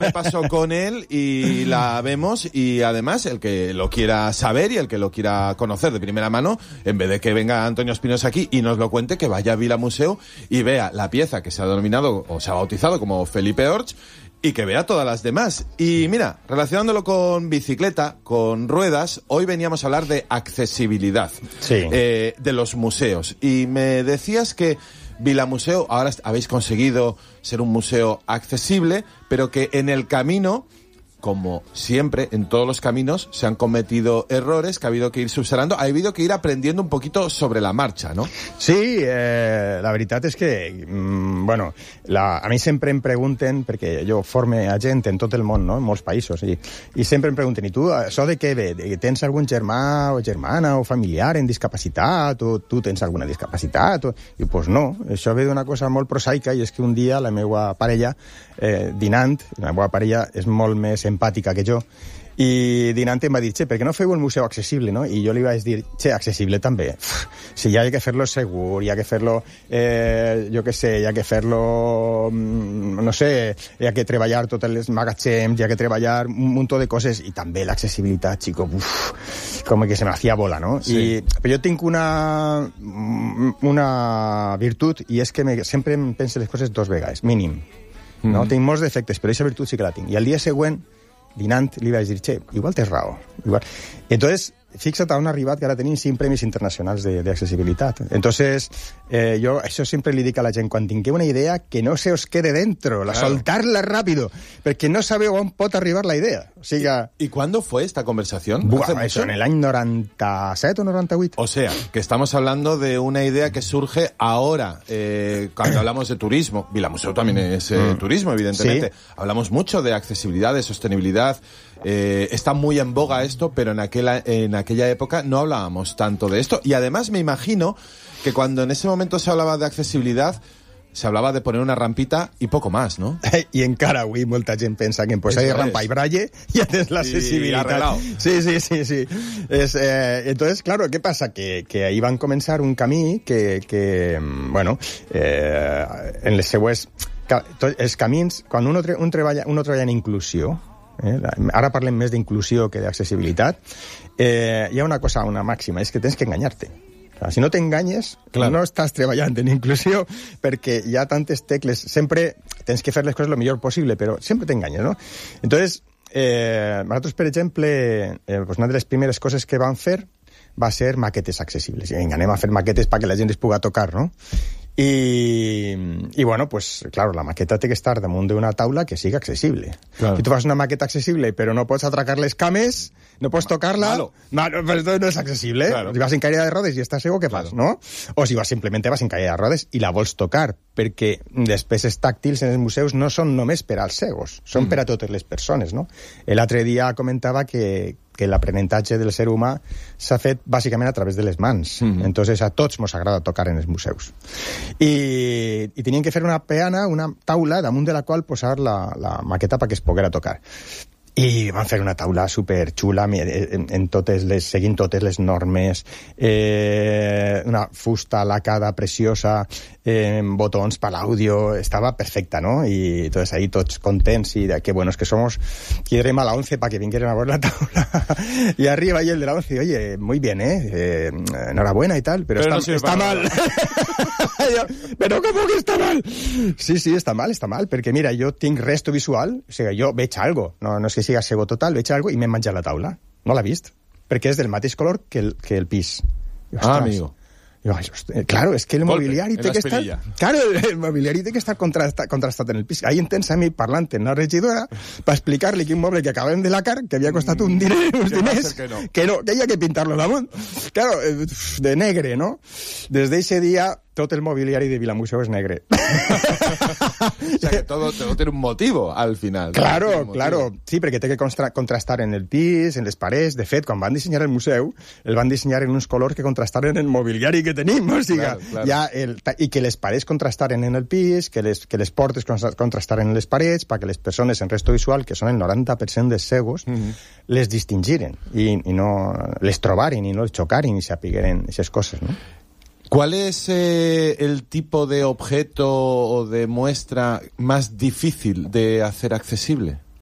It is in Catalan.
repaso con él y la vemos, y además el que lo quiera saber y el que lo quiera conocer de primera mano, en vez de que venga Antonio Espinosa aquí y nos lo cuente, que vaya a Vila Museu y vea la pieza que se ha denominado o se ha bautizado como Felipe Orts, y que vea todas las demás. Y mira, relacionándolo con bicicleta, con ruedas, hoy veníamos a hablar de accesibilidad, de los museos. Y me decías que Vila Museu, ahora habéis conseguido ser un museo accesible, pero que en el camino, como siempre, en todos los caminos, se han cometido errores que ha habido que ir subsanando, ha habido que ir aprendiendo un poquito sobre la marxa, ¿no? Sí, la veritat és que, bueno, a mi sempre em pregunten, perquè jo forme a gent en tot el món, no?, en molts països, i sempre em pregunten, i tu, això de què ve? Tens algun germà o germana o familiar en discapacitat, o tu tens alguna discapacitat? I pues no, això ve d'una cosa molt prosaica, i és que un dia la meva parella, dinant, la meva parella és molt més empàtica que jo, i dinant em va dir, per què no feu el museu accessible, no? I jo li vaig dir, accessible també. Si ja hi ha que fer-lo segur, hi ha que fer-lo, jo què sé, hi ha que fer-lo, no sé, hi ha que treballar tots els magatzems, hi ha que treballar un munt de coses, i també l'accessibilitat, chico, com que se me hacía bola, no? Sí. Però jo tinc una virtut, i és que sempre em penso les coses dos vegades, mínim. No? Tinc molts defectes, però aquesta virtut sí que la tinc. I al dia següent, dinant, li vaig dir, igual tens raó. Igual. Entonces, fixa't on ha arribat, que ara tenim 5 premis internacionals d'accessibilitat. Entonces, jo això sempre li dic a la gent, quan tingueu una idea, que no se os quede dentro, soltarla rápido, perquè no sabeu on pot arribar la idea. O sigui, ¿Y cuándo fue esta conversación? Eso en el año 97 o 98. O sea, que estamos hablando de una idea que surge ahora, cuando hablamos de turismo. Vila Museu también es turismo, evidentemente. Sí. Hablamos mucho de accesibilidad, de sostenibilidad. Está muy en boga esto, pero en aquella época no hablábamos tanto de esto. Y además me imagino que cuando en ese momento se hablaba de accesibilidad, se hablaba de poner una rampita y poco más, ¿no? I encara avui molta gent pensa que en posar rampa i braille ja tens l'accessibilitat. Sí. Entonces, claro, ¿qué pasa? Que ahí van començar un camí que bueno, en les seues... Els camins, quan uno treballa en inclusió, ara parlem més d'inclusió que d'accessibilitat, hi ha una cosa, una màxima, és que tens que enganyar-te. Si no t'enganyes, no estàs treballant en inclusió, perquè hi ha tantes tecles, sempre tens que fer les coses el millor possible, però sempre t'enganyes, no? Entonces, nosaltres, per exemple, una de les primeres coses que vam fer va ser maquetes accessibles. Vinga, anem a fer maquetes perquè la gent es puga tocar, no? I bueno, pues claro, la maqueta té que estar damunt d'una taula que sigui accessible. Claro. Si tu fas una maqueta accessible però no pots atracar les cames, no pots tocar-la, però no és accessible. Claro. Si vas en caire de rodes i estàs segur, què fas, no? O si simplement vas en caire de rodes i la vols tocar, perquè les peces tàctils en els museus no són només per als cegos, són per a totes les persones, no? L'altre dia comentava que l'aprenentatge del ser humà s'ha fet bàsicament a través de les mans. Entonces a tots mos agrada tocar en els museus. I tenien que fer una peana, una taula, damunt de la qual posar la maqueta perquè es poguera tocar. I van fer una taula superxula, seguint totes les normes, una fusta lacada preciosa, botons per l'àudio, estava perfecta, ¿no? Y entonces ahí tots contents y de qué buenos que somos. Quieren a la 11 para que vinieran a ver la tabla. Y arriba y el de la 11, oye, muy bien, enhorabuena y tal, pero está mal. Però com que està mal? Sí, està mal, perquè mira, jo tinc resto visual, o sigui, jo veig algo, no és que siga cego total, veig algo i m'he menjat la taula. No l'ha vist, perquè és del mateix color que el pis. Amigo. Claro, es que el mobiliari té que estar... Claro, el mobiliari té que estar contrastat en el pis. Ahí tens a mi parlant en la regidora per explicar-li que un moble que acabem de lacar, que havia costat uns diners, que havia que pintar-lo damunt. Claro, de negre, ¿no? Des d'eixe dia tot el mobiliari de Vila Museu és negre. O sea que todo tiene un motivo al final. Claro. Sí, perquè té que contrastar en el pis, en les parets. De fet, quan van dissenyar el museu, el van dissenyar en uns colors que contrastaren el mobiliari que tenim. O sigui, i que les parets contrastaren en el pis, que les portes contrastaren en les parets, perquè les persones en resto visual, que són el 90% dels cegos, les distingiren i no les trobaren i no les xocaren i sapigueren aquestes coses, no? ¿Cuál es el tipo de objeto o de muestra más difícil de hacer accesible?